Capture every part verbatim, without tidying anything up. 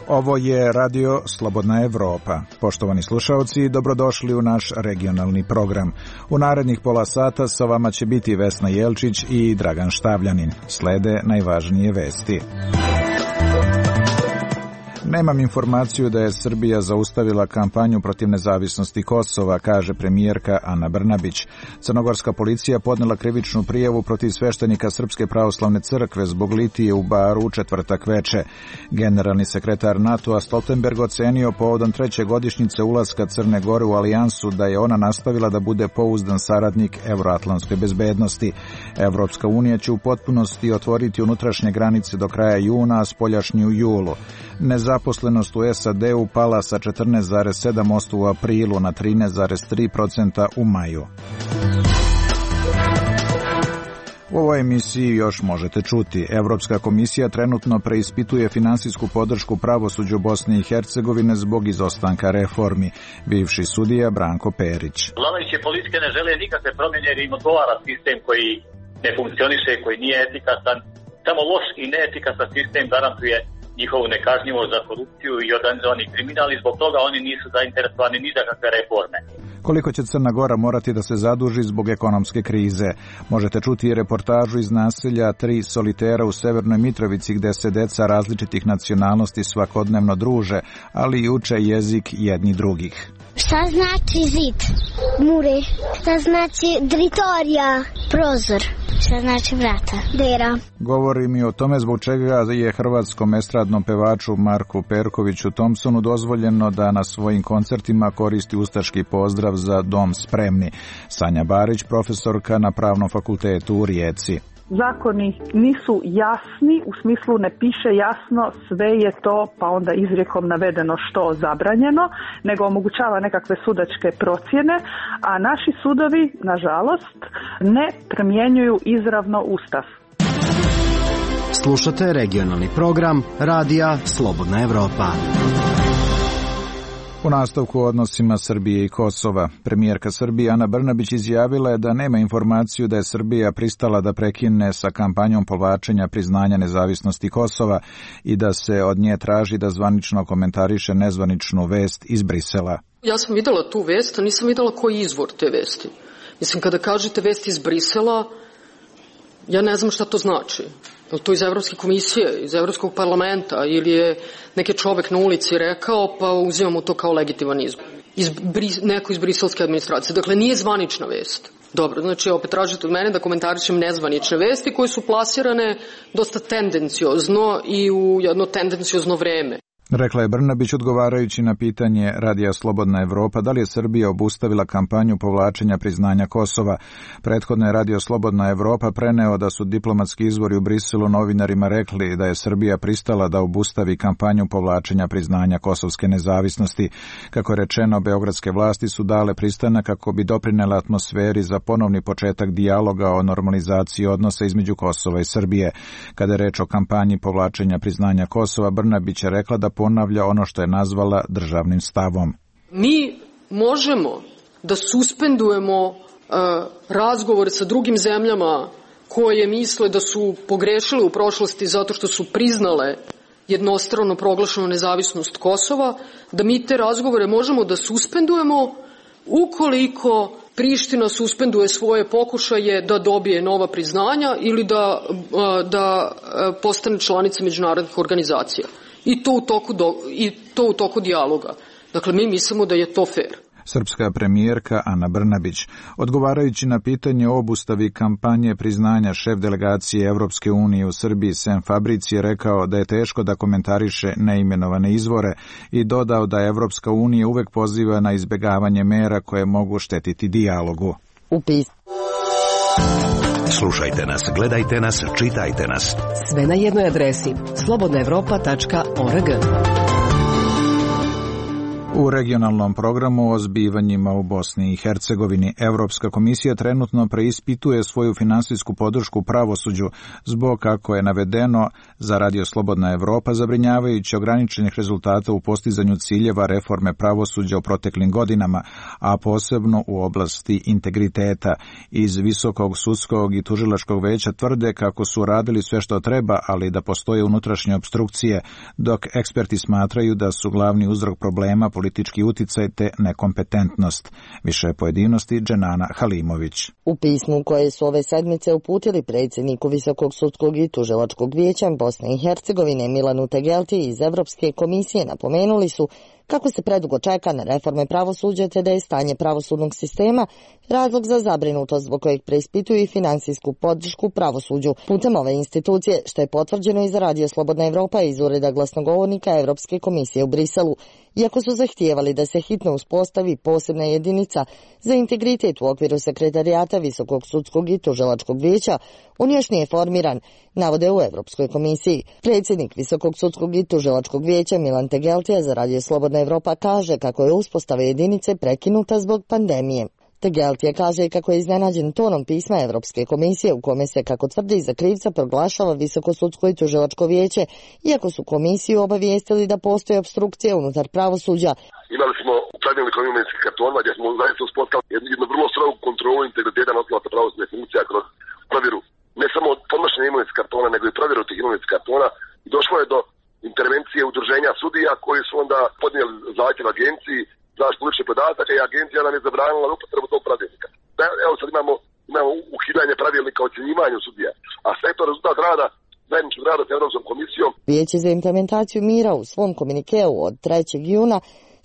Ovo je Radio Slobodna Evropa. Poštovani slušaoci, dobrodošli u naš regionalni program. U narednih pola sata sa vama će biti Vesna Jelčić i Dragan Štavljanin. Slede najvažnije vesti. Nemam informaciju da je Srbija zaustavila kampanju protiv nezavisnosti Kosova, kaže premijerka Ana Brnabić. Crnogorska policija podnela krivičnu prijavu protiv sveštenika Srpske pravoslavne crkve zbog litije u baru u četvrtak veče. Generalni sekretar NATO-a Stoltenberg ocenio povodom treće godišnjice ulaska Crne Gore u alijansu da je ona nastavila da bude pouzdan saradnik evroatlantske bezbednosti. Evropska unija će u potpunosti otvoriti unutrašnje granice do kraja juna, a spoljašnji u julu. Nezaposlenost u S A D-u pala sa četrnaest zarez sedam posto u aprilu na trinaest zarez tri posto u maju. U ovoj emisiji još možete čuti. Evropska komisija trenutno preispituje finansijsku podršku pravosuđu Bosne i Hercegovine zbog izostanka reformi. Bivši sudija Branko Perić. Vladajuće politike ne žele nikakve promjene jer im odgovara sistem koji ne funkcioniše, koji nije efikasan. Samo loš i neefikasan sistem garantuje njihovu nekažnjivost za korupciju i organizovani kriminal i zbog toga oni nisu zainteresovani ni za kakve reforme. Koliko će Crna Gora morati da se zaduži zbog ekonomske krize? Možete čuti i reportažu iz naselja Tri solitera u Severnoj Mitrovici gde se deca različitih nacionalnosti svakodnevno druže, ali i uče jezik jedni drugih. Šta znači zid? Mure. Šta znači dritorija? Prozor. Šta znači vrata? Dera. Govori mi o tome zbog čega je hrvatskom estradnom pevaču Marku Perkoviću Thompsonu dozvoljeno da na svojim koncertima koristi ustaški pozdrav za Dom spremni. Sanja Barić, profesorka na Pravnom fakultetu u Rijeci. Zakoni nisu jasni, u smislu ne piše jasno sve je to pa onda izrijekom navedeno što zabranjeno, nego omogućava nekakve sudačke procjene, a naši sudovi, nažalost, ne primjenjuju izravno Ustav. Slušate regionalni program Radija Slobodna Evropa. U nastavku o odnosima Srbije i Kosova, premijerka Srbije Ana Brnabić izjavila je da nema informaciju da je Srbija pristala da prekine sa kampanjom povlačenja priznanja nezavisnosti Kosova i da se od nje traži da zvanično komentariše nezvaničnu vest iz Brisela. Ja sam videla tu vest, a nisam videla koji je izvor te vesti. Mislim, kada kažete vest iz Brisela, ja ne znam šta to znači. Je li to iz Evropske komisije, iz Evropskog parlamenta ili je neki čovek na ulici rekao pa uzimamo to kao legitiman izbor. Iz, neko iz briselske administracije. Dakle, nije zvanična vest. Dobro, znači opet tražite od mene da komentarišem nezvanične vesti koje su plasirane dosta tendenciozno i u jedno tendenciozno vreme. Rekla je Brnabić odgovarajući na pitanje Radija Slobodna Evropa da li je Srbija obustavila kampanju povlačenja priznanja Kosova. Prethodno je Radio Slobodna Evropa preneo da su diplomatski izvori u Briselu novinarima rekli da je Srbija pristala da obustavi kampanju povlačenja priznanja kosovske nezavisnosti. Kako je rečeno, beogradske vlasti su dale pristanak kako bi doprinele atmosferi za ponovni početak dijaloga o normalizaciji odnosa između Kosova i Srbije. Kada je reč o kampanji povlačenja priznanja Kosova, Brnabić je rekla da ponavlja ono što je nazvala državnim stavom. Mi možemo da suspendujemo uh, razgovore sa drugim zemljama koje misle da su pogrešile u prošlosti zato što su priznale jednostrano proglašenu nezavisnost Kosova, da mi te razgovore možemo da suspendujemo ukoliko Priština suspenduje svoje pokušaje da dobije nova priznanja ili da, uh, da uh, postane članica međunarodnih organizacija. I to u toku do, i to u toku dijaloga. Dakle, mi mislimo da je to fair. Srpska premijerka Ana Brnabić, odgovarajući na pitanje o obustavi kampanje priznanja, šef delegacije Evropske unije u Srbiji Sem Fabrici je rekao da je teško da komentariše neimenovane izvore i dodao da Evropska unija uvek poziva na izbegavanje mera koje mogu štetiti dijalogu. Upis. Slušajte nas, gledajte nas, čitajte nas. Sve na jednoj adresi slobodna evropa tačka org. U regionalnom programu o zbivanjima u Bosni i Hercegovini Evropska komisija trenutno preispituje svoju finansijsku podršku pravosuđu zbog, kako je navedeno za Radio Slobodna Evropa, zabrinjavajući ograničenih rezultata u postizanju ciljeva reforme pravosuđa u proteklim godinama, a posebno u oblasti integriteta. Iz Visokog sudskog i tužilačkog veća tvrde kako su radili sve što treba, ali da postoje unutrašnje opstrukcije, dok eksperti smatraju da su glavni uzrok problema politički uticaj te nekompetentnost. Više pojedinosti Dženana Halimović. U pismu koje su ove sedmice uputili predsjedniku Visokog sudskog i tužilačkog vijeća Bosne i Hercegovine Milanu Tegelti iz Evropske komisije napomenuli su kako se predugo čeka na reforme pravosuđa te da je stanje pravosudnog sistema razlog za zabrinutost zbog kojeg preispituju i finansijsku podršku pravosuđu putem ove institucije, što je potvrđeno i za Radio Slobodna Evropa iz ureda glasnogovornika Evropske komisije u Briselu. Iako su zahtijevali da se hitno uspostavi posebna jedinica za integritet u okviru sekretarijata Visokog sudskog i tužilačkog vijeća, on još nije formiran, navode u Evropskoj komisiji. Predsjednik Visokog sudskog i tužilačkog vijeća Milan Tegeltija za Radio Slobodna Evropa kaže kako je uspostava jedinice prekinuta zbog pandemije. Tegeltija kaže kako je iznenađen tonom pisma Evropske komisije u kome se, kako tvrdi, za krivca proglašava Visoko sudsko i tužilačko vijeće, iako su komisiju obavijestili da postoji opstrukcija unutar pravosuđa. Imali smo pravilnik o imovinskim kartonima gdje smo zaista uspostavili jednu vrlo strogu kontrolu integriteta nosilaca pravosudnih funkcija kroz provjeru ne samo podnošenja imovinskih kartona, nego i provjeru tih imovinskih kartona. I došlo je do intervencije udruženja sudija koji su onda podnijeli zahtjev agenciji zaštitu ličnih podataka i agencija nam je zabranila upotrebu tog pravilnika. Evo sad imamo, imamo ukidanje pravilnika o ocjenjivanju sudija, a sve to rezultat rada zajedničkog rada s Europskom komisijom. Vijeće za implementaciju mira u svom komunikeu od trećeg juna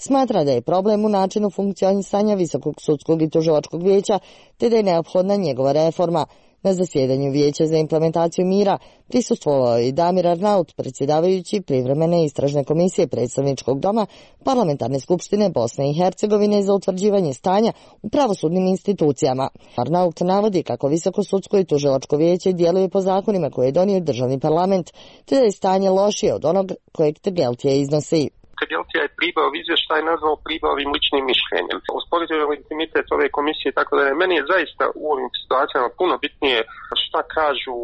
smatra da je problem u načinu funkcionisanja Visokog sudskog i tužilačkog vijeća te da je neophodna njegova reforma. Na zasjedanju Vijeća za implementaciju mira prisustvovao je i Damir Arnaut, predsjedavajući privremene istražne komisije predstavničkog doma Parlamentarne skupštine Bosne i Hercegovine za utvrđivanje stanja u pravosudnim institucijama. Arnaut navodi kako Visoko sudsko i tužilačko vijeće djeluje po zakonima koje je donio državni parlament, te da je stanje lošije od onog kojeg Tegeltija iznosi. Tegeltija je pribao izvještaj nazvao pribavim ličnim mišljenjem. Usporedio je legitimitet ove komisije, tako da je meni je zaista u ovim situacijama puno bitnije šta kažu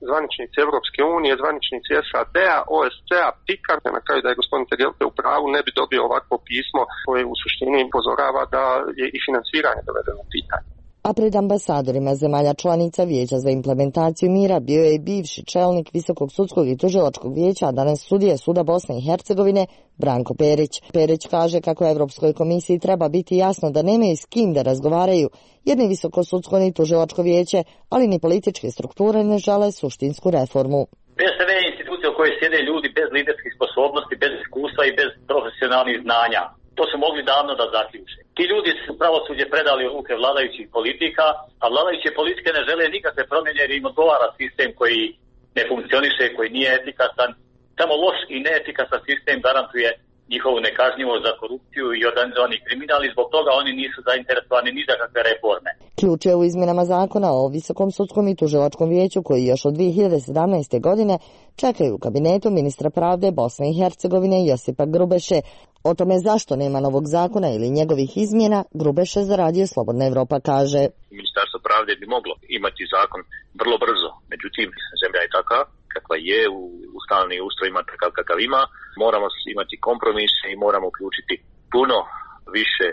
zvaničnici Evropske unije, zvaničnici S A D-a, O S C-a, P I K-a. Na kraju da je gospodin Tegeltija u pravu ne bi dobio ovakvo pismo koje u suštini upozorava da je i finansiranje dovedeno u pitanje. A pred ambasadorima zemalja članica Vijeća za implementaciju mira bio je i bivši čelnik Visokog sudskog i tužilačkog vijeća, a danas sudija Suda Bosne i Hercegovine, Branko Perić. Perić kaže kako Evropskoj komisiji treba biti jasno da nemaju s kim da razgovaraju, jer ni Visoko sudsko ni tužilačko vijeće, ali ni političke strukture ne žele suštinsku reformu. Bez ove institucije u kojoj sjede ljudi bez liderskih sposobnosti, bez iskustva i bez profesionalnih znanja. To su mogli davno da zaključe. Ti ljudi su pravosuđe predali u ruke vladajućih politika, a vladajuće politike ne žele nikakve promjene jer im odgovara sistem koji ne funkcioniše, koji nije efikasan. Samo loš i neefikasan sistem garantuje njihovu nekažnjivost za korupciju i organizovani kriminal i zbog toga oni nisu zainteresovani ni za kakve reforme. Ključ je u izmjenama zakona o Visokom sudskom i tužilačkom vijeću koji još od dvije hiljade sedamnaeste. godine čekaju u kabinetu ministra pravde Bosne i Hercegovine Josipa Grubeše. O tome zašto nema novog zakona ili njegovih izmjena, Grubeše za Radio Slobodna Evropa kaže. Ministarstvo pravde bi moglo imati zakon vrlo brzo, međutim zemlja je takva kakva je, u, u stalni ustroj ima takav kakav ima, moramo imati kompromise i moramo uključiti puno više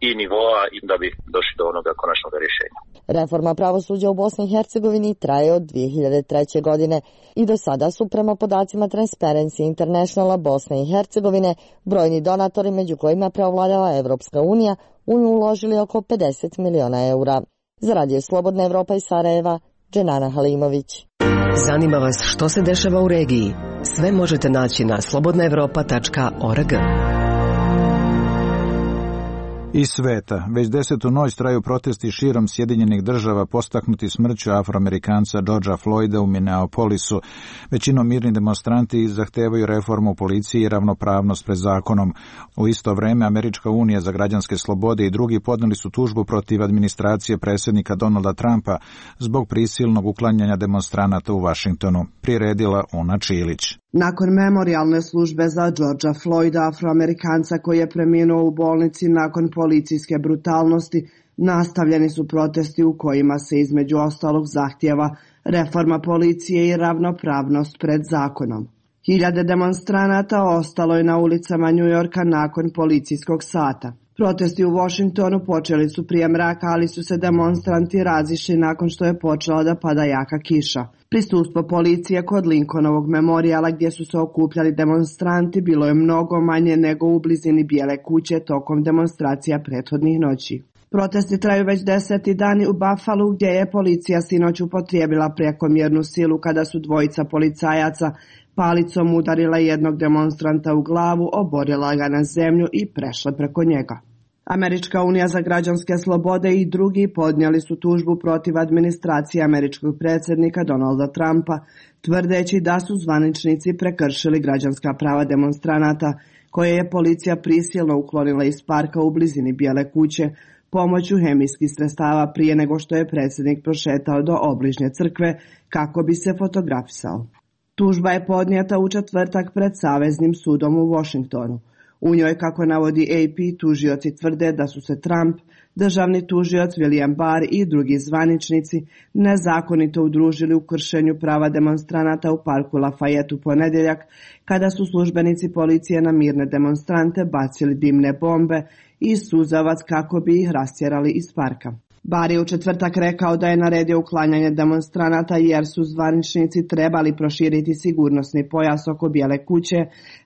i nivoa i da bi došli do onoga konačnog rješenja. Reforma pravosuđa u Bosni i Hercegovini traje od dvije hiljade treće. godine i do sada su prema podacima Transparency Internationala Bosne i Hercegovine brojni donatori, među kojima preovladava Evropska unija, u nju uložili oko pedeset miliona eura. Za Radio Slobodna Evropa iz Sarajeva, Dženana Halimović. Zanima vas što se dešava u regiji? Sve možete naći na slobodna evropa tačka org. Iz sveta. Već desetu noć traju protesti širom Sjedinjenih država postaknuti smrću Afroamerikanca Georgea Floyda u Minneapolisu. Većinom mirni demonstranti zahtevaju reformu policije i ravnopravnost pred zakonom. U isto vreme Američka unija za građanske slobode i drugi podneli su tužbu protiv administracije predsjednika Donalda Trumpa zbog prisilnog uklanjanja demonstranata u Vašingtonu. Priredila Una Čilić. Nakon memorijalne službe za Georgea Floyda, Afroamerikanca koji je preminuo u bolnici nakon policijske brutalnosti, nastavljeni su protesti u kojima se između ostalog zahtijeva reforma policije i ravnopravnost pred zakonom. Hiljade demonstranata ostalo je na ulicama Njujorka nakon policijskog sata. Protesti u Washingtonu počeli su prije mraka, ali su se demonstranti razišli nakon što je počela da pada jaka kiša. Prisustvo policije kod Lincolnovog memorijala gdje su se okupljali demonstranti bilo je mnogo manje nego u blizini Bijele kuće tokom demonstracija prethodnih noći. Protesti traju već deseti dani u Buffalu gdje je policija sinoć upotrijebila prekomjernu silu kada su dvojica policajaca palicom udarila jednog demonstranta u glavu, oborila ga na zemlju i prešla preko njega. Američka unija za građanske slobode i drugi podnijeli su tužbu protiv administracije američkog predsjednika Donalda Trumpa, tvrdeći da su zvaničnici prekršili građanska prava demonstranata, koje je policija prisilno uklonila iz parka u blizini Bijele kuće pomoću hemijskih sredstava prije nego što je predsjednik prošetao do obližnje crkve kako bi se fotografisao. Tužba je podnijeta u četvrtak pred Saveznim sudom u Washingtonu. U njoj, kako navodi A P, tužioci tvrde da su se Trump, državni tužioc William Barr i drugi zvaničnici nezakonito udružili u kršenju prava demonstranata u parku Lafayette u ponedjeljak, kada su službenici policije na mirne demonstrante bacili dimne bombe i suzavac kako bi ih rastjerali iz parka. Barr je u četvrtak rekao da je naredio uklanjanje demonstranata jer su zvaničnici trebali proširiti sigurnosni pojas oko Bijele kuće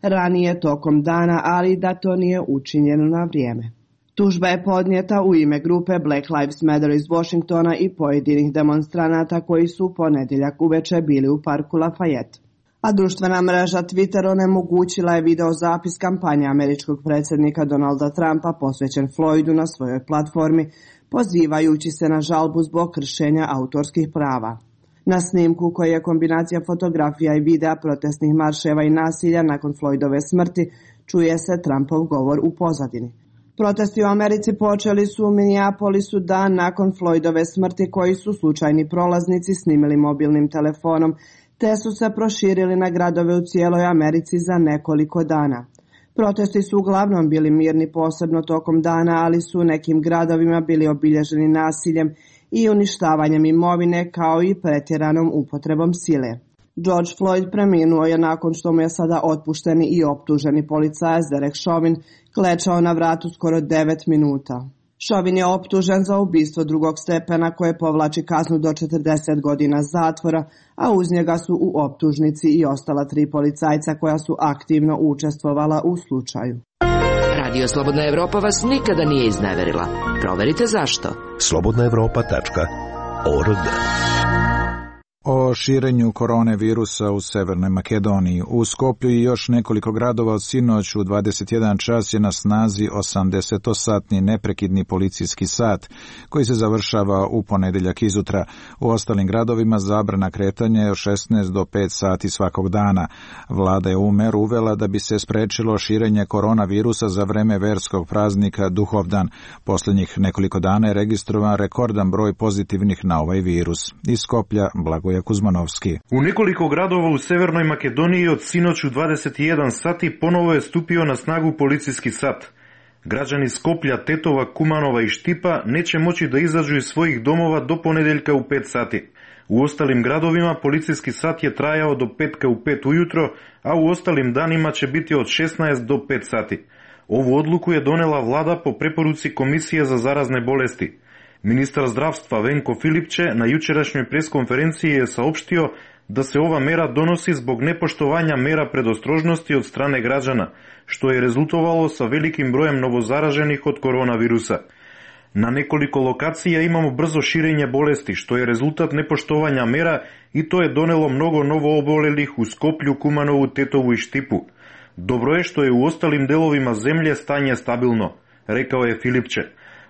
ranije tokom dana, ali da to nije učinjeno na vrijeme. Tužba je podnijeta u ime grupe Black Lives Matter iz Washingtona i pojedinih demonstranata koji su u ponedjeljak uveče bili u parku Lafayette. A društvena mreža Twitter onemogućila je video zapis kampanje američkog predsjednika Donalda Trumpa posvećen Floydu na svojoj platformi, pozivajući se na žalbu zbog kršenja autorskih prava. Na snimku, koji je kombinacija fotografija i videa protestnih marševa i nasilja nakon Floydove smrti, čuje se Trumpov govor u pozadini. Protesti u Americi počeli su u Minneapolisu dan nakon Floydove smrti, koji su slučajni prolaznici snimili mobilnim telefonom, te su se proširili na gradove u cijeloj Americi za nekoliko dana. Protesti su uglavnom bili mirni posebno tokom dana, ali su u nekim gradovima bili obilježeni nasiljem i uništavanjem imovine kao i pretjeranom upotrebom sile. George Floyd preminuo je nakon što mu je sada otpušteni i optuženi policajac Derek Chauvin klečao na vratu skoro devet minuta. Chauvin je optužen za ubistvo drugog stepena koje povlači kaznu do četrdeset godina zatvora, a uz njega su u optužnici i ostala tri policajca koja su aktivno učestvovala u slučaju. Radio Slobodna Evropa vas nikada nije izneverila. Proverite zašto. slobodna evropa tačka org. O širenju korone virusa u Severnoj Makedoniji. U Skoplju i još nekoliko gradova od sinoć u dvadeset jedan čas je na snazi osamdesetosatni neprekidni policijski sat, koji se završava u ponedjeljak izutra. U ostalim gradovima zabrana kretanja je od šesnaest do pet sati svakog dana. Vlada je ovu meru uvela da bi se sprečilo širenje koronavirusa za vreme verskog praznika Duhovdan. Posljednjih nekoliko dana je registrovan rekordan broj pozitivnih na ovaj virus. Iz Skoplja, Blagoje Kuzmanovski. U nekoliko gradova u Severnoj Makedoniji od sinoć u dvadeset jedan sati ponovo je stupio na snagu policijski sat. Građani Skoplja, Tetova, Kumanova i Štipa neće moći da izađu iz svojih domova do ponedeljka u pet sati. U ostalim gradovima policijski sat je trajao do petka u pet ujutro, a u ostalim danima će biti od šesnaest do pet sati. Ovu odluku je donela vlada po preporuci Komisije za zarazne bolesti. Ministar zdravstva Venko Filipče na jučerašnjoj preskonferenciji je saopštio da se ova mera donosi zbog nepoštovanja mera predostrožnosti od strane građana, što je rezultovalo sa velikim brojem novozaraženih od koronavirusa. Na nekoliko lokacija imamo brzo širenje bolesti, što je rezultat nepoštovanja mera i to je donelo mnogo novoobolelih u Skoplju, Kumanovu, Tetovu i Štipu. Dobro je što je u ostalim delovima zemlje stanje stabilno. rekao je Filipče.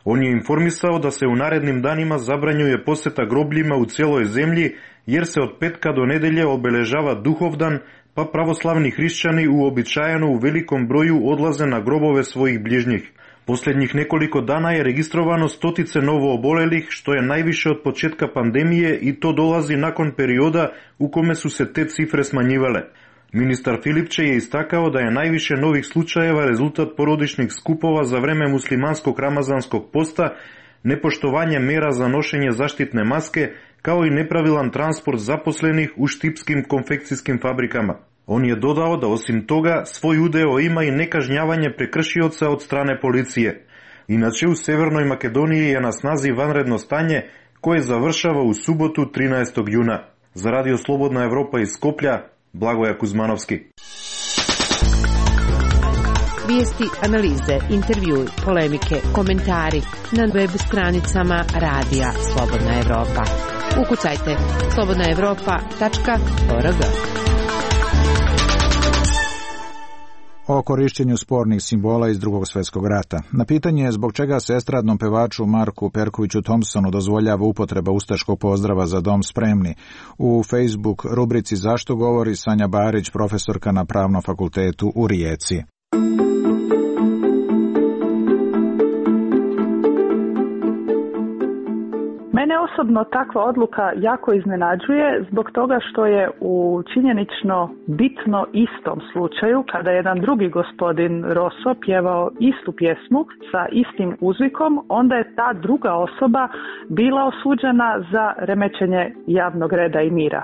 On je informisao da se u narednim danima zabranjuje poseta grobljima u cijeloj zemlji, jer se od petka do nedelje obeležava Duhovdan, pa pravoslavni hrišćani uobičajeno u velikom broju odlaze na grobove svojih bližnjih. Posljednjih nekoliko dana je registrovano stotice novo obolelih, što je najviše od početka pandemije i to dolazi nakon perioda u kome su se te cifre smanjivale. Ministar Filipče je istakao da je najviše novih slučajeva rezultat porodičnih skupova za vreme muslimanskog ramazanskog posta, nepoštovanje mera za nošenje zaštitne maske, kao i nepravilan transport zaposlenih u štipskim konfekcijskim fabrikama. On je dodao da osim toga svoj udeo ima i nekažnjavanje prekršioca od strane policije. Inače, u Severnoj Makedoniji je na snazi vanredno stanje koje završava u subotu trinaestog juna. Za Radio Slobodna Evropa iz Skoplja, Blagoja Kuzmanovski. Vijesti, analize, intervjui, polemike, komentari na web stranicama Radija Slobodna Evropa. Ukucajte slobodna evropa tačka org. O korišćenju spornih simbola iz Drugog svjetskog rata. Na pitanje zbog čega se estradnom pevaču Marku Perkoviću Thompsonu dozvoljava upotreba ustaškog pozdrava Za dom spremni, u Facebook rubrici Zašto govori Sanja Barić, profesorka na Pravnom fakultetu u Rijeci. Mene osobno takva odluka jako iznenađuje zbog toga što je u činjenično bitno istom slučaju, kada je jedan drugi gospodin Rosso pjevao istu pjesmu sa istim uzvikom, onda je ta druga osoba bila osuđena za remećenje javnog reda i mira.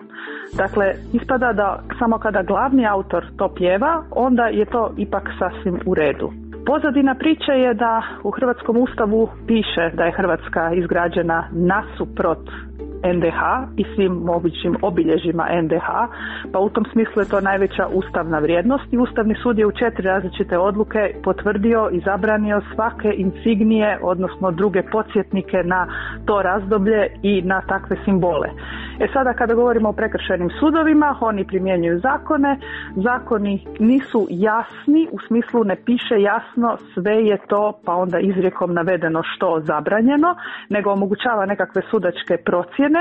Dakle, ispada da samo kada glavni autor to pjeva, onda je to ipak sasvim u redu. Pozadina priče je da u Hrvatskom ustavu piše da je Hrvatska izgrađena nasuprot en de ha i svim mogućim obilježjima en de ha, pa u tom smislu je to najveća ustavna vrijednost i Ustavni sud je u četiri različite odluke potvrdio i zabranio svake insignije, odnosno druge podsjetnike na to razdoblje i na takve simbole. E sada kada govorimo o prekršajnim sudovima, oni primjenjuju zakone, zakoni nisu jasni, u smislu ne piše jasno sve je to pa onda izrijekom navedeno što zabranjeno, nego omogućava nekakve sudačke procjene,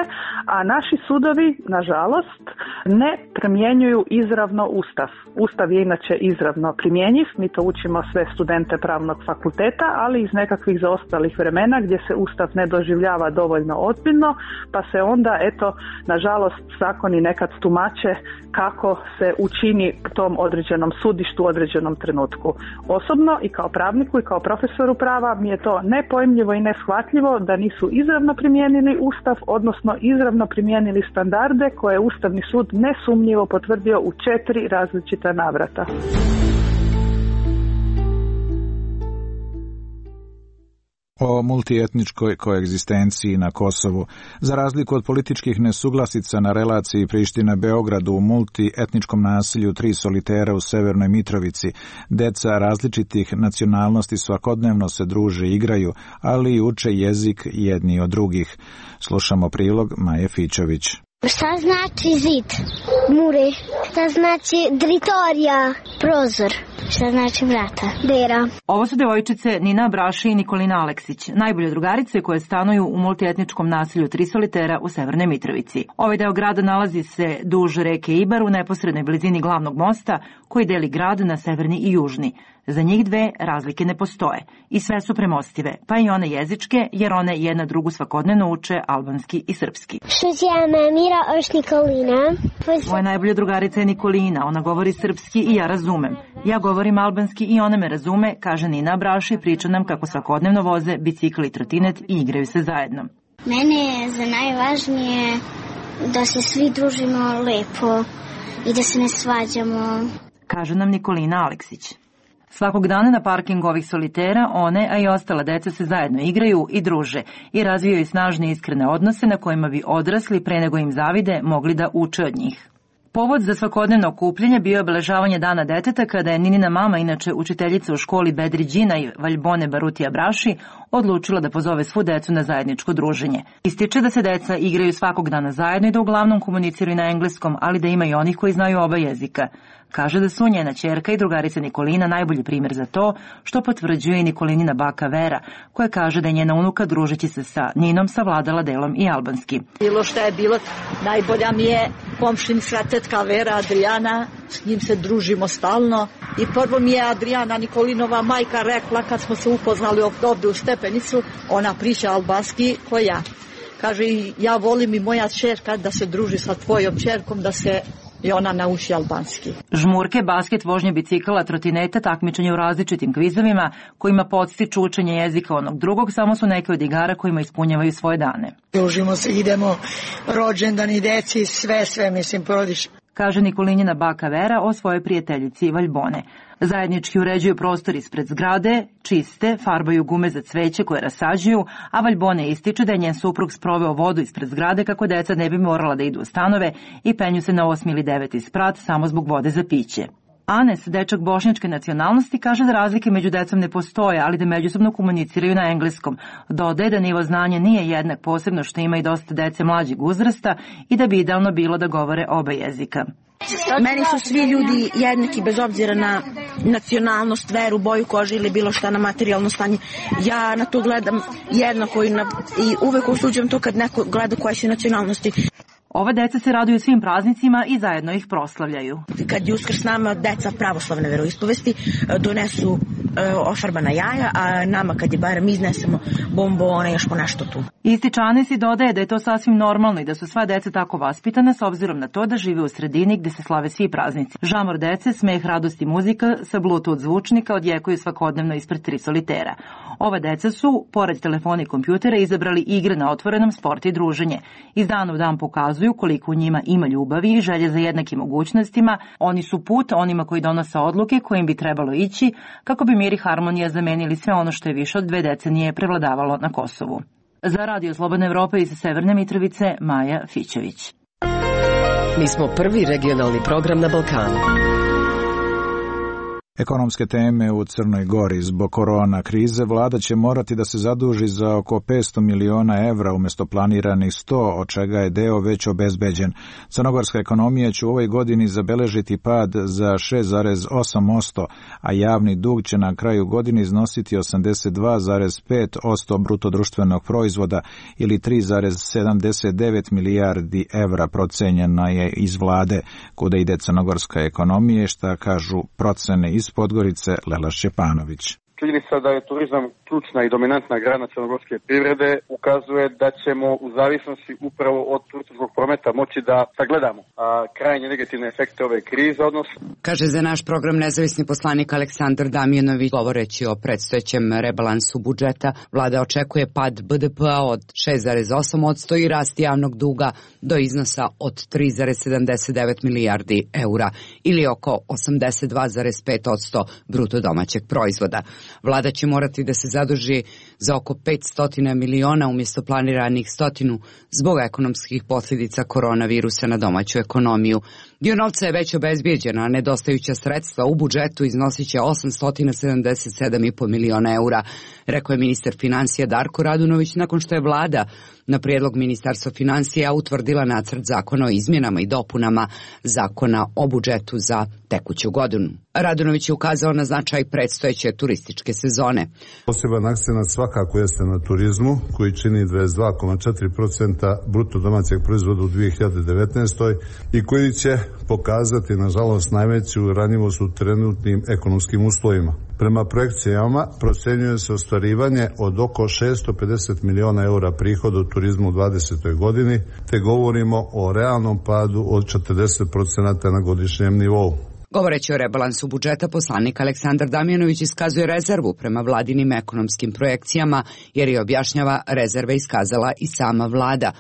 a naši sudovi, nažalost, ne primjenjuju izravno Ustav. Ustav je inače izravno primjenjiv, mi to učimo sve studente pravnog fakulteta, ali iz nekakvih zaostalih vremena gdje se Ustav ne doživljava dovoljno ozbiljno, pa se onda, eto, nažalost, zakoni nekad tumače kako se učini tom određenom sudištu u određenom trenutku. Osobno i kao pravniku i kao profesoru prava mi je to nepojmljivo i neshvatljivo da nisu izravno primijenili Ustav, odnosno izravno primijenili standarde koje je Ustavni sud nesumnjivo potvrdio u četiri različita navrata. O multietničkoj koegzistenciji na Kosovu. Za razliku od političkih nesuglasica na relaciji Priština-Beogradu u multietničkom nasilju Tri solitera u Severnoj Mitrovici, deca različitih nacionalnosti svakodnevno se druže i igraju, ali i uče jezik jedni od drugih. Slušamo prilog Maje Fićović. Šta znači zid? Mure. Šta znači dritorija? Prozor. Šta znači vrata? Dera. Ovo su devojčice Nina Braši i Nikolina Aleksić, najbolje drugarice koje stanuju u multietničkom naselju Tri solitera u Severnoj Mitrovici. Ovaj deo grada nalazi se duž reke Ibar u neposrednoj blizini glavnog mosta koji deli grad na severni i južni. Za njih dve razlike ne postoje i sve su premostive, pa i one jezičke, jer one jedna drugu svakodnevno uče albanski i srpski. Mira oš Nikolina. Moja najbolja drugarica je Nikolina, ona govori srpski i ja razumem. Ja govorim albanski i ona me razume, kaže Nina Braši, priča nam kako svakodnevno voze bicikl i trotinet i igraju se zajedno. Mene je za najvažnije da se svi družimo lepo i da se ne svađamo, kaže nam Nikolina Aleksić. Svakog dana na parkingu ovih solitera one, a i ostala deca se zajedno igraju i druže i razvijaju snažne iskrene odnose na kojima bi odrasli pre nego im zavide mogli da uče od njih. Povod za svakodnevno okupljanje bio je obeležavanje Dana deteta kada je Ninina mama, inače učiteljica u školi Bedri Đina i Valjbone Barutija Braši, odlučila da pozove svu decu na zajedničko druženje. Ističe da se deca igraju svakog dana zajedno i da uglavnom komuniciraju na engleskom, ali da ima i onih koji znaju oba jezika. Kaže da su njena ćerka i drugarica Nikolina najbolji primjer za to, što potvrđuje i Nikolinina baka Vera, koja kaže da je njena unuka družeći se sa Ninom savladala delom i albanski. Bilo što je bilo, najbolja mi je komšinica tetka Vera Adriana, s njim se družimo stalno. I prvo mi je Adriana Nikolinova majka rekla kad smo se upoznali ovdje u Stepenicu, ona priča albanski ko ja. Kaže, ja volim i moja ćerka da se druži sa tvojom ćerkom, da se i ona nauči albanski. Žmurke, basket, vožnje bicikala, trotineta, takmičenje u različitim kvizovima kojima podstiču učenje jezika onog drugog, samo su neke od igara kojima ispunjavaju svoje dane. Družimo se, idemo rođendani deci, sve, sve, mislim, porodiš. Kaže Nikolinjina baka Vera o svojoj prijateljici Valjbone. Zajednički uređuju prostor ispred zgrade, čiste, farbaju gume za cveće koje rasađuju, a Valjbone ističe da je njen suprug sproveo vodu ispred zgrade kako deca ne bi morala da idu u stanove i penju se na osmi ili deveti sprat samo zbog vode za piće. Anes, dečak bošnjačke nacionalnosti, kaže da razlike među decom ne postoje, ali da međusobno komuniciraju na engleskom. Dodaje da nivo znanja nije jednak, posebno što ima i dosta dece mlađeg uzrasta i da bi idealno bilo da govore oba jezika. Meni su svi ljudi jednaki bez obzira na nacionalnost, veru, boju kože ili bilo šta, na materijalno stanje. Ja na to gledam jednako i, na, i uvek osuđujem to kad neko gleda koje su nacionalnosti. Ova deca se raduju svim praznicima i zajedno ih proslavljaju. Kad je Uskrs nama deca pravoslavne veroispovesti donesu e, ofarbana jaja, a nama kad je Bajram iznesemo bombone, još po nešto tu. Ističane si dodaje da je to sasvim normalno i da su sva deca tako vaspitana s obzirom na to da žive u sredini gde se slave svi praznici. Žamor dece, smeh, radost i muzika sa Bluetooth zvučnika odjekuju svakodnevno ispred tri solitera. Ova deca su, pored telefona i kompjutera, izabrali igre na otvorenom, sport i druženje. Iz dana u dan pokazuju koliko u njima ima ljubavi i želje za jednakim mogućnostima. Oni su put onima koji donose odluke kojim bi trebalo ići kako bi mir i harmonija zamenili sve ono što je više od dve decenije prevladavalo na Kosovu. Za Radio Slobodna Evropa iz Severne Mitrovice, Maja Fićević. Mi smo prvi regionalni program na Balkanu. Ekonomske teme u Crnoj Gori. Zbog korona krize vlada će morati da se zaduži za oko petsto miliona evra umjesto planiranih sto, od čega je deo već obezbeđen. Crnogorska ekonomija će u ovoj godini zabeležiti pad za šest zarez osam posto, a javni dug će na kraju godine iznositi osamdeset dva zarez pet posto bruto društvenog proizvoda ili tri zarez sedamdeset devet milijardi evra, procenjena je iz vlade. Kuda ide crnogorska ekonomija, šta kažu procene iz Podgorice, Lela Šćepanović. Činjenica da je turizam ključna i dominantna grana crnogorske privrede ukazuje da ćemo u zavisnosti upravo od turističkog prometa moći da sagledamo a, krajnje negativne efekte ove krize. Odnosno... Kaže za naš program nezavisni poslanik Aleksandar Damjanović, govoreći o predstojećem rebalansu budžeta, vlada očekuje pad B D P-a od šest zarez osam posto i rast javnog duga do iznosa od tri zarez sedamdeset devet milijardi eura ili oko osamdeset dva zarez pet posto bruto domaćeg proizvoda. Vlada će morati da se zaduži za oko petsto miliona umjesto planiranih stotinu zbog ekonomskih posljedica koronavirusa na domaću ekonomiju. Dio novca je već obezbijeđen, a nedostajuća sredstva u budžetu iznosit će osamsto sedamdeset sedam zarez pet miliona eura, rekao je ministar financija Darko Radunović nakon što je vlada na prijedlog Ministarstva financija utvrdila nacrt zakona o izmjenama i dopunama zakona o budžetu za tekuću godinu. Radunović je ukazao na značaj predstojeće turističke sezone. Poseban akcenat svakako jeste na turizmu, koji čini dvadeset dva zarez četiri posto bruto domaćeg proizvoda u dvije hiljade devetnaestoj i koji će pokazati, nažalost, najveću ranjivost u trenutnim ekonomskim uslovima. Prema projekcijama procenjuje se ostvarivanje od oko šesto pedeset miliona eura prihoda u turizmu u dvadesetoj godini, te govorimo o realnom padu od četrdeset posto na godišnjem nivou. Govoreći o rebalansu budžeta, poslanik Aleksandar Damjanović iskazuje rezervu prema vladinim ekonomskim projekcijama, jer je objašnjava rezerve iskazala i sama vlada.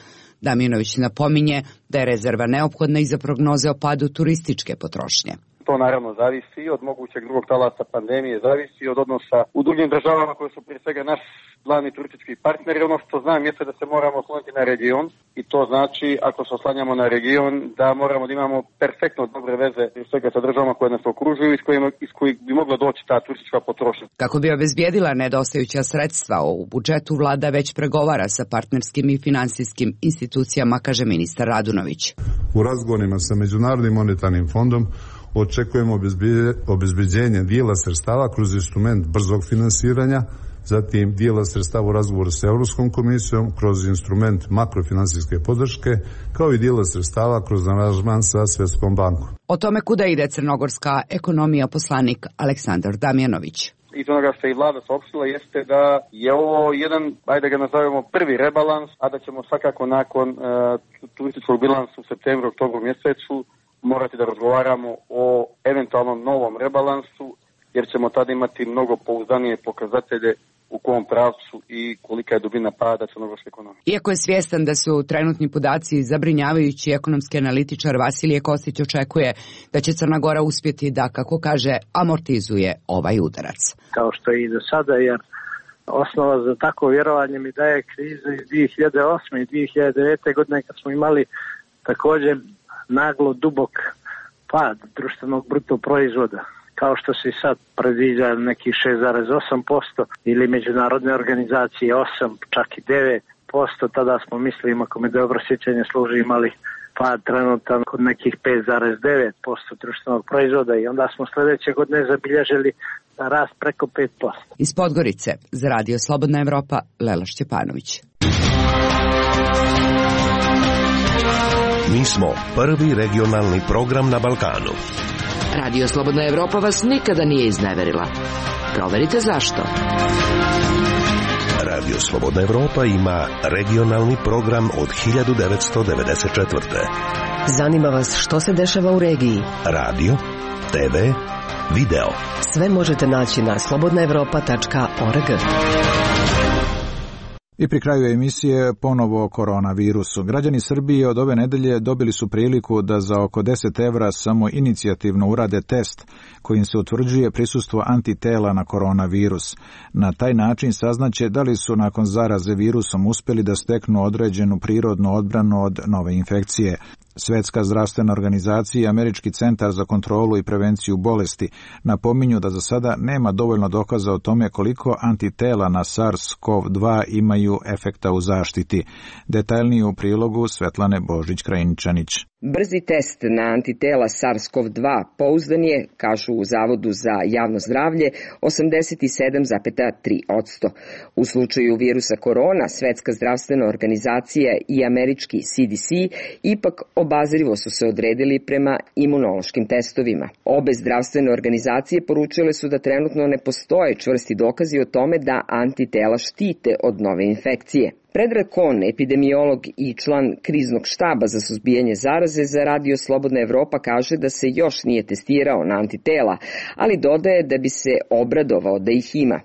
Damjanović napominje da je rezerva neophodna i za prognoze o padu turističke potrošnje. To naravno zavisi od mogućeg drugog talasa pandemije, zavisi od odnosa u drugim državama koje su prije svega naš glavni turistički partneri. Ono što znam jeste da se moramo osloniti na region i to znači, ako se oslanjamo na region, da moramo da imamo perfektno dobre veze i svega sa državama koje nas okružuju i iz kojih, iz kojih bi mogla doći ta turistička potrošnja. Kako bi obezbijedila nedostajuća sredstva, u budžetu vlada već pregovara sa partnerskim i finansijskim institucijama, kaže ministar Radunović. U razgovorima sa Međunarodnim monetarnim fondom očekujemo obezbeđenje dijela sredstava kroz instrument brzog finansiranja, zatim dijela sredstava u razgovoru sa Europskom komisijom kroz instrument makrofinansijske podrške, kao i dijela sredstava kroz aranžman sa Svjetskom bankom. O tome kuda ide crnogorska ekonomija poslanik Aleksandar Damjanović. Iz onoga što je i vlada saopštila jeste da je ovo jedan, ajde ga nazovemo, prvi rebalans, a da ćemo svakako nakon uh, turističkog bilansa u septembru, oktobru mjesecu morati da razgovaramo o eventualnom novom rebalansu, jer ćemo tada imati mnogo pouzdanije pokazatelje u kom pravcu i kolika je dubina pada crnogorske ekonomije. Iako je svjestan da su trenutni podaci zabrinjavajući, ekonomski analitičar Vasilije Kostić očekuje da će Crna Gora uspjeti da, kako kaže, amortizuje ovaj udarac. Kao što je i do sada, jer osnova za tako vjerovanje mi daje kriza iz dvije hiljade osme i dvije hiljade devete godine kad smo imali također naglo dubok pad društvenog bruto proizvoda, kao što se i sad predviđa neki šest zarez osam posto ili međunarodne organizacije osam, čak i devet posto, tada smo mislili, ako me dobro sjećanje služi, imali pad trenutan kod nekih pet zarez devet posto društvenog proizvoda i onda smo sljedeće godine zabilježili rast preko pet posto. Iz Podgorice za Radio Slobodna Evropa, Lela Šćepanović. Mi smo prvi regionalni program na Balkanu. Radio Slobodna Evropa vas nikada nije izneverila. Proverite zašto. Radio Slobodna Evropa ima regionalni program od hiljadu devetsto devedeset četvrte. Zanima vas što se dešava u regiji? Radio, te ve, video. Sve možete naći na slobodna evropa tačka org. I pri kraju emisije ponovo o koronavirusu. Građani Srbije od ove nedelje dobili su priliku da za oko deset evra samo inicijativno urade test kojim se utvrđuje prisustvo antitela na koronavirus. Na taj način saznaće da li su nakon zaraze virusom uspjeli da steknu određenu prirodnu odbranu od nove infekcije. Svetska zdravstvena organizacija i Američki centar za kontrolu i prevenciju bolesti napominju da za sada nema dovoljno dokaza o tome koliko antitela na SARS-C o V dva imaju efekta u zaštiti. Detaljnije u prilogu Svetlane Božić-Krajničanić. Brzi test na antitela SARS-C o V dva pouzdan je, kažu u Zavodu za javno zdravlje, osamdeset sedam zarez tri posto. U slučaju virusa korona, Svetska zdravstvena organizacija i američki C D C ipak obazrivo su se odredili prema imunološkim testovima. Obe zdravstvene organizacije poručile su da trenutno ne postoje čvrsti dokazi o tome da antitela štite od nove infekcije. Predrag Kon, epidemiolog i član kriznog štaba za suzbijanje zaraze za Radio Slobodna Evropa, kaže da se još nije testirao na antitela, ali dodaje da bi se obradovao da ih ima.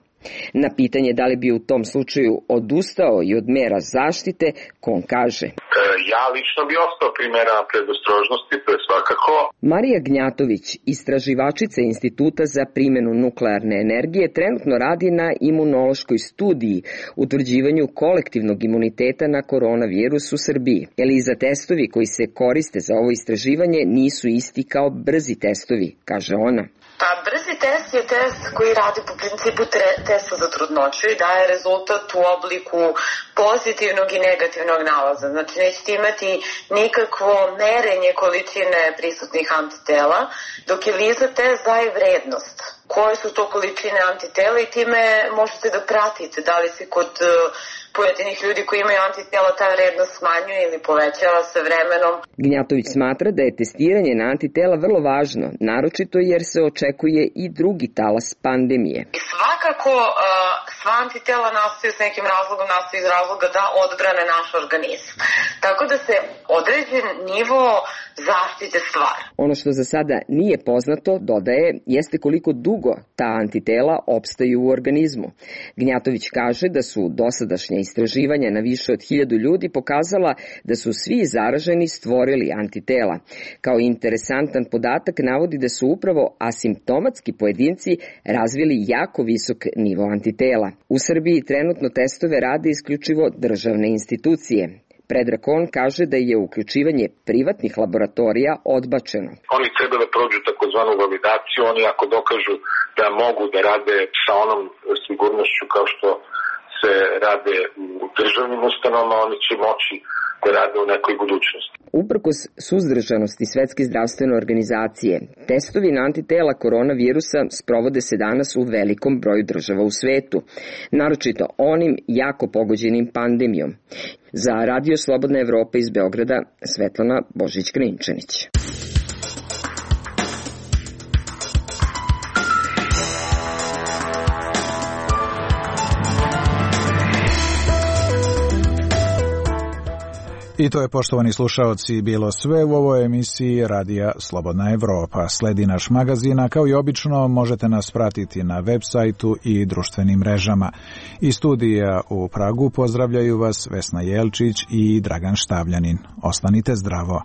Na pitanje da li bi u tom slučaju odustao i od mera zaštite, Kon kaže: Ja lično bi ostao pri merama predostrožnosti, to je svakako. Marija Gnjatović, istraživačica Instituta za primjenu nuklearne energije, trenutno radi na imunološkoj studiji utvrđivanju kolektivnog imuniteta na koronavirus u Srbiji. Eliza, testovi koji se koriste za ovo istraživanje nisu isti kao brzi testovi, kaže ona. Pa brzi test je test koji radi po principu testa za trudnoću i daje rezultat u obliku pozitivnog i negativnog nalaza. Znači nećete imati nikakvo merenje količine prisutnih antitela, dok je ELISA test daje vrednost. Koje su to količine antitela i time možete da pratite da li se kod pojedinih ljudi koji imaju antitela ta vrednost smanjuje ili povećava sa vremenom. Gnjatović smatra da je testiranje na antitela vrlo važno, naročito jer se očekuje i drugi talas pandemije. I svakako sva antitela nastaju s nekim razlogom, nastaju iz razloga da odbrane naš organizam. Tako da se određen nivo zaštite stvara. Ono što za sada nije poznato, dodaje, jeste koliko dugo ta antitela opstaju u organizmu. Gnjatović kaže da su dosadašnja istraživanja na više od hiljadu ljudi pokazala da su svi zaraženi stvorili antitela. Kao interesantan podatak navodi da su upravo asimptomatski pojedinci razvili jako visok nivo antitela. U Srbiji trenutno testove rade isključivo državne institucije. Predrag Kon kaže da je uključivanje privatnih laboratorija odbačeno. Oni treba da prođu takozvanu validaciju, oni ako dokažu da mogu da rade sa onom sigurnošću kao što se rade u državnim ustanovama, oni će moći da rade u nekoj budućnosti. Uprkos suzdržanosti Svetske zdravstvene organizacije, testovi na antitela koronavirusa sprovode se danas u velikom broju država u svetu, naročito onim jako pogođenim pandemijom. Za Radio Slobodna Evropa iz Beograda, Svetlana Božić-Krinčanić. I to je, poštovani slušaoci, bilo sve u ovoj emisiji Radija Slobodna Evropa. Sledi naš magazin, a kao i obično možete nas pratiti na web sajtu i društvenim mrežama. Iz studija u Pragu pozdravljaju vas Vesna Jelčić i Dragan Štavljanin. Ostanite zdravo.